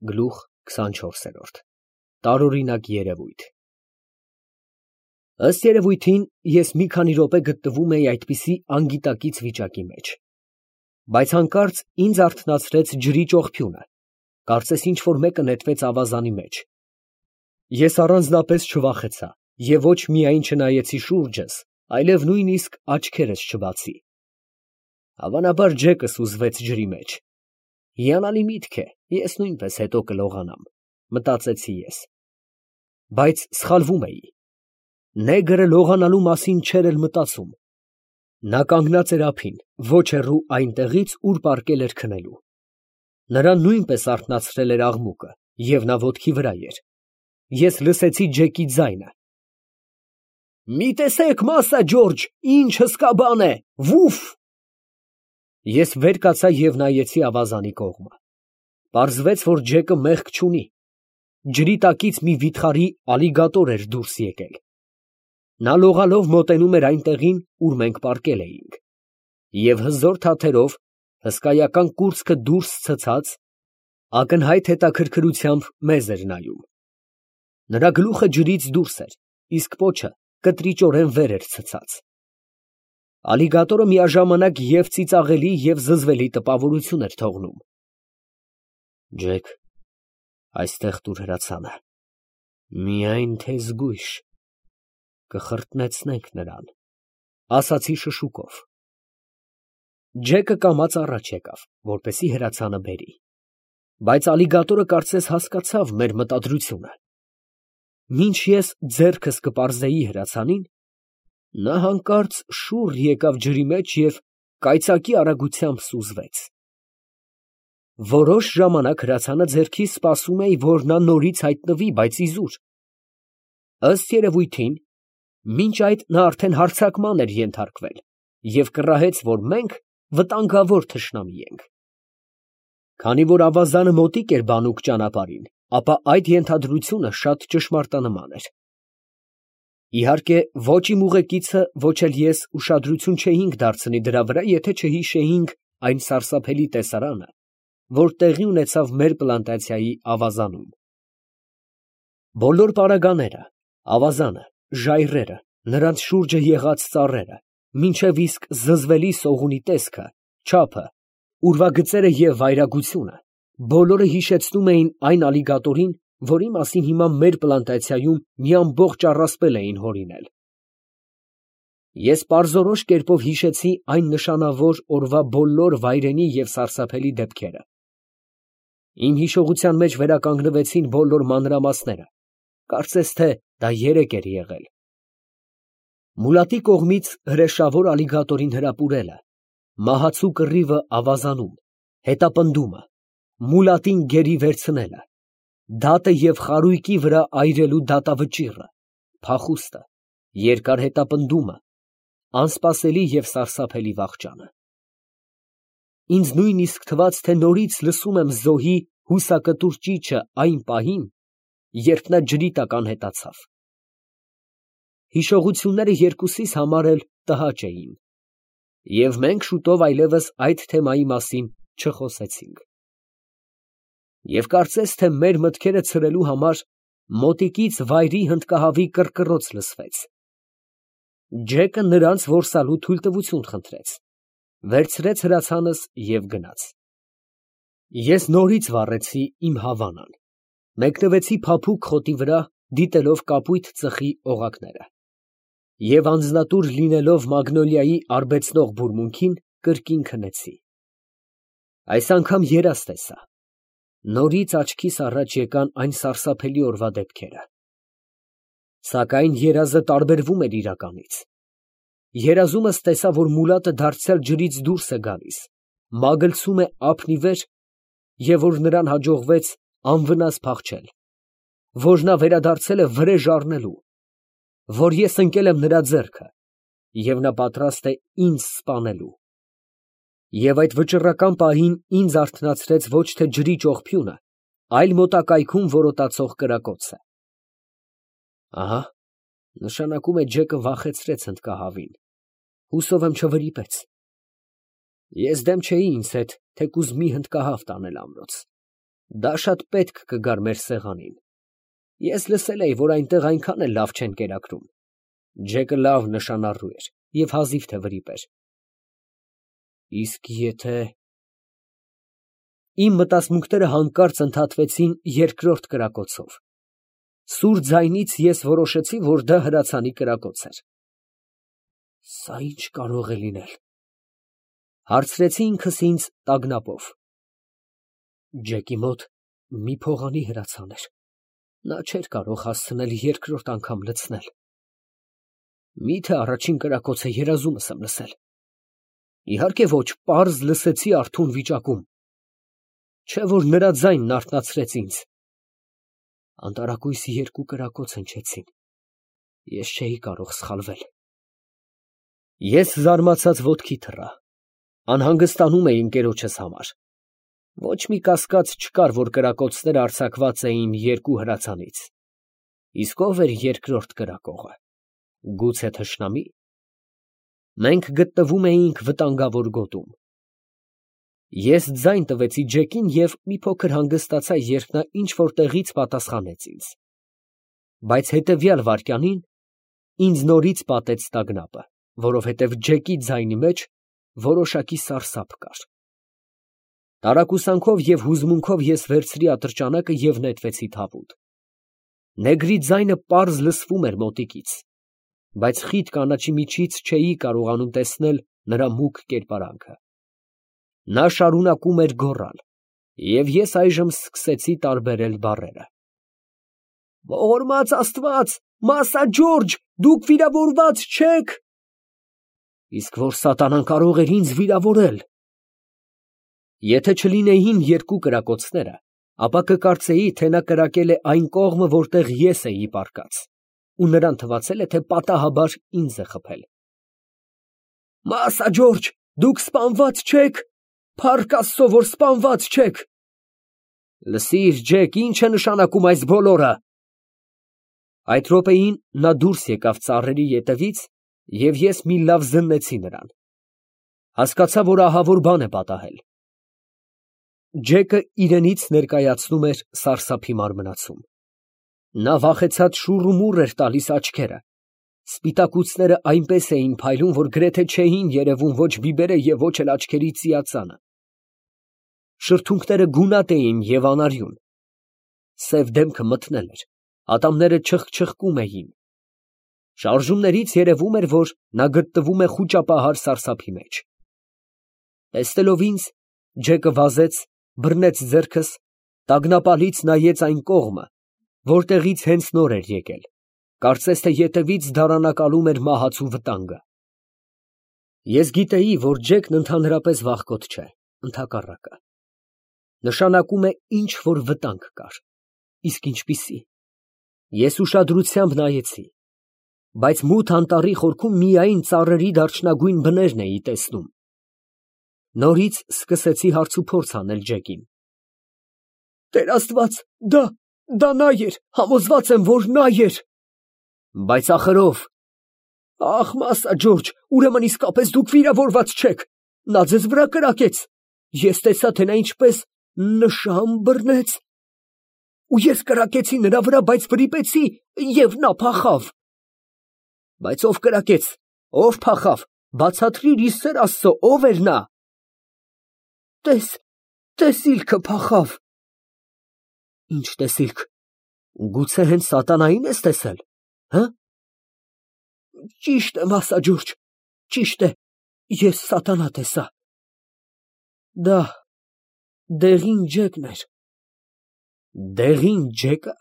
Գլուխ 24 Տարօրինակ երևույթ։ Ըստ երևույթին, ես մի քանի րոպե գտնվում էի այդպիսի անգիտակից վիճակի մեջ, բայց հանկարծ ինձ արթնացրեց ջրի ճողփյունը, կարծես ինչ֊որ մեկը նետվեց ավազանի մեջ։ Ես առանձնապես չվախեցա և ոչ միայն չնայեցի շուրջս, այլև նույնիսկ աչքերս չբացի։ Հավանաբար ջեկս ուզվեց ջրի մեջ։ Հիանալի միտք է, ես նույնպես հետո կլողանամ, մտածեցի ես։ Բայց սխալվում էի։ Նեգրը լողանալու մասին չէր էլ մտածում։ Նա կանգնած էր ափին, ոչ հեռու այնտեղից, ուր պառկել էր քնելու։ Նրան նույնպես արթնացրել էր աղմուկը, և նա ոտքի վրա էր։ Ես լսեցի Ջեկի ձայնը. «Մի տեսեք, Մասա Ջորջ, ինչ հսկա բան է, վուֆ»։ Ես վեր կացա և նայեցի ավազանի կողմը։ Պարզվեց, որ Ջեկը մեղք չունի։ Ջրի տակից մի վիթխարի ալիգատոր էր դուրս եկել։ Նա լողալով մոտենում էր այն տեղին, ուր մենք պառկել էինք, և հզոր թաթերով, հսկայական կուրծքը դուրս ցցած, ակնհայտ հետաքրքրությամբ մեզ էր նայում։ Նրա գլուխը ջրից դուրս էր, իսկ պոչը կտրիճորեն վեր էր ցցած։ Ալիգատորը միաժամանակ և ծիծաղելի և զզվելի տպավորություն էր թողնում։ «Ջեք, այստեղ տուր հրացանը, միայն թե զգույշ, կխրտնեցնենք նրան», ֊ ասացի շշուկով։ Ջեկը կամաց առաջ եկավ, որպեսզի հրացանը բերի, բայց ալիգատորը կարծես հասկացավ մեր մտադրությունը։ Մինչ ես ձեռքս կպարզեի հրացանին, նա հանկարծ շուռ եկավ ջրի մեջ և կայծակի արագությամբ սուզվեց։ Որոշ ժամանակ հրացանը ձեռքիս սպասում էի, որ նա նորից հայտնվի, բայց իզուր։ Ըստ երևույթին, մինչ այդ նա արդեն հարձակման էր ենթարկվել և կռահեց, որ մենք վտանգավոր թշնամի ենք։ Քանի որ ավազանը մոտիկ էր բանուկ ճանապարհին, ապա այդ ենթադրությունը շատ ճշմարտանման էր։ Իհարկե, ոչ իմ ուղեկիցը, ոչ էլ ես ուշադրություն չէինք դարձնի դրա վրա, եթե չհիշեինք այն սարսափելի տեսարանը, որ տեղի ունեցավ մեր պլանտացիայի ավազանում։ Բոլոր պարագաները, ավազանը, ժայռերը, նրանց շուրջը եղած ծառերը, մինչև իսկ զզվելի սողունի տեսքը, չափը, ուրվագծերը և վայրագությունը, բոլորը հիշեցնում էին այն ալիգատորին, որի մասին հիմա մեր պլանտացիայում մի ամբողջ առասպել էին հորինել։ Ես պարզորոշ կերպով հիշեցի այն նշանավոր օրվա բոլոր վայրենի և սարսափելի դեպքերը։ Իմ հիշողության մեջ վերականգնվեցին բոլոր մանրամասները, կարծես թե դա երեկ էր եղել։ Մուլատի կողմից հրեշավոր ալիգատորին հրապուրելը, մահացու կռիվը ավազանում, հետապնդումը, մուլատին գերի վերցնելը, դատը և խարույկի վրա այրելու դատավճիռը, փախուստը, երկար հետապնդումը, անսպասելի և սարսափելի վախճանը։ Ինձ նույնիսկ թվաց, թե նորից լսում եմ զոհի հուսակտուր ճիչը այն պահին, երբ նա ջրի տակ անհետացավ։ Հիշողությունները երկուսիս համար էլ տհաճ էին, և մենք շուտով այլևս այդ թեմայի մասին չխոսեցինք։ Եվ կարծես թե մեր մտքերը ցրելու համար մոտիկից վայրի հնդկահավի կռկռոց լսվեց։ Ջեկը նրանց որսալու թույլտվություն խնդրեց, վերցրեց հրացանս և գնաց։ Ես նորից վառեցի իմ հավանան, մեկնվեցի փափուկ խոտի վրա, դիտելով կապույտ ծխի օղակները, և անձնատուր լինելով մագնոլիայի արբեցնող բուրմունքին, կրկին քնեցի։ Այս անգամ երազ տեսա։ Նորից աչքիս առաջ եկան այն սարսափելի օրվա դեպքերը։ Սակայն երազը տարբերվում էր իրականից։ Երազումս տեսա, որ Մուլատը դարձյալ ջրից դուրս է գալիս, մագլցում է ափն ի վեր, և որ նրան հաջողվեց անվնաս փախչել, որ նա վերադարձել է վրեժ առնելու, որ ես ընկել եմ նրա ձեռքը, և նա պատրաստ է ինձ սպանելու։ Եվ այդ վճռական պահին ինձ արթնացրեց ոչ թե ջրի ճողփյունը, այլ մոտակայքում որոտացող կրակոցը։ Ահա, նշանակում է Ջեկը վախեցրեց հնդկահավին, հուսով եմ չվրիպեց։ Ես դեմ չէի ինձ հետ թեկուզ մի հնդկահավ տանել ամրոց։ Դա շատ պետք կգար մեր սեղանին։ Ես լսել էի, որ այնտեղ այնքան էլ լավ չեն կերակրում։ Ջեկը լավ նշանառու էր և հազիվ թե վրիպ էր։ Իսկ եթե… Իմ մտածմունքները հանկարծ ընդհատվեցին երկրորդ կրակոցով։ Սուր ձայնից ես որոշեցի, որ դա հրացանի կրակոց էր։ Սա ի՞նչ կարող է լինել, հարցրեցի ինքս ինձ տագնապով։ Ջեկի մոտ մի փողանի հրացան էր։ Նա չէր կարող հասցնել երկրորդ անգամ լցնել։ Մի՞թե առաջին կրակոցը երազումս եմ լսել։ Իհարկե ոչ, պարզ լսեցի արթուն վիճակում։ Չէ՞ որ նրա ձայնն արթնացրեց ինձ։ Անտարակույս երկու կրակոց հնչեցին։ Ես չէի կարող սխալվել։ Ես զարմացած ոտքի թռա։ Անհանգստանում էի ընկերոջս համար։ Ոչ մի կասկած չկար, որ կրակոցները արձակված էին երկու հրացանից։ Իսկ ով էր երկրորդ կրակողը։ Գուցե թշնամի։ Մենք գտնվում էինք վտանգավոր գոտում։ Ես ձայն տվեցի Ջեկին և մի փոքր հանգստացա, երբ նա ինչ֊որ տեղից պատասխանեց ինձ։ Բայց հետևյալ վայրկյանին ինձ նորից պատեց տագնապը, որովհետև Ջեկի ձայնի մեջ որոշակի սարսափ կար։ Տարակուսանքով և հուզմունքով ես վերցրի ատրճանակը և նետվեցի թավուտ։ Նեգրի ձայնը պարզ լսվում էր մոտիկից, բայց խիտ կանաչի միջից չէի կարողանում տեսնել նրա մուգ կերպարանքը։ Նա շարունակում էր գոռալ, և ես այժմ սկսեցի տարբերել բառերը. Ողորմած Աստված, Մասա Ջորջ, դուք վիրավորված չեք։ Իսկ որ սատանան կարող էր ինձ վիրավորել։ Եթե չլինեին երկու կրակոցները, ապա կկարծեի, թե նա կրակել է այն կողմը, որտեղ ես էի պառկած, ու նրան թվացել է, թե պատահաբար ինձ է խփել։ Մասա Ջորջ, դուք սպանված չեք։ Փառք Աստծո, որ սպանված չեք։ Լսիր, Ջեք, ինչ է նշանակում այս բոլորը։ Այդ րոպեին նա դուրս եկավ ծառերի ետևից, և ես մի լավ զննեցի նրան։ Հասկացա, որ ահավոր բան է պատահել։ Ջեկը իրենից ներկայացնում էր սարսափի մարմնացում։ Նա վախեցած շուռումուռ էր տալիս աչքերը։ Սպիտակուցները այնպես էին փայլում, որ գրեթե չէին երևում ոչ բիբերը և ոչ էլ աչքերի ծիածանը։ Շրթունքները գունատ էին և անարյուն։ Սև դեմքը մթնել էր, ատամները չխչխկում էին։ Շարժումներից երևում էր, որ նա գտնվում է խուճապահար սարսափի մեջ։ Տեսնելով ինձ, Ջեկը վազեց, բռնեց ձեռքս, տագնապալից նայեց այն կողմը, որտեղից հենց նոր էր եկել, կարծես թե ետևից դարանակալում էր մահացու վտանգը։ Ես գիտեի, որ Ջեկն ընդհանրապես վախկոտ չէ, ընդհակառակը։ Նշանակում է ինչ֊որ վտանգ կար։ Իսկ ինչպիսի։ Ես ուշադրությամբ նայեցի, բայց մութ անտառի խորքում միայն ծառերի դարչնագույն բներն էի տեսնում։ Նորից սկսեցի հարցուփորձ անել Ջեկին։ Տեր Աստված, դա նա էր, համոզված եմ, որ նա էր։ Բայց ախր ով։ Ախ, Մասա Ջորջ, ուրեմն իսկապես դուք վիրավորված չեք։ Նա ձեզ վրա կրակեց։ Ես տեսա, թե նա ինչպես նշան բռնեց։ Ու ես կրակեցի նրա վրա, բայց վրիպեցի, և նա փախավ։ Բայց ով կրակեց, ով փախավ, բացատրիր ի սեր Աստծո, ով էր նա։ Տես իլքը փախավ։ Ինչ տեսիլք, գուցե հենց սատանային ես տեսել, հը։ Ճիշտ է, Մասա Ջորջ, ճիշտ է, ես սատանա տեսա։ Դա դեղին Ջեկն էր։ Դեղին Ջեկը։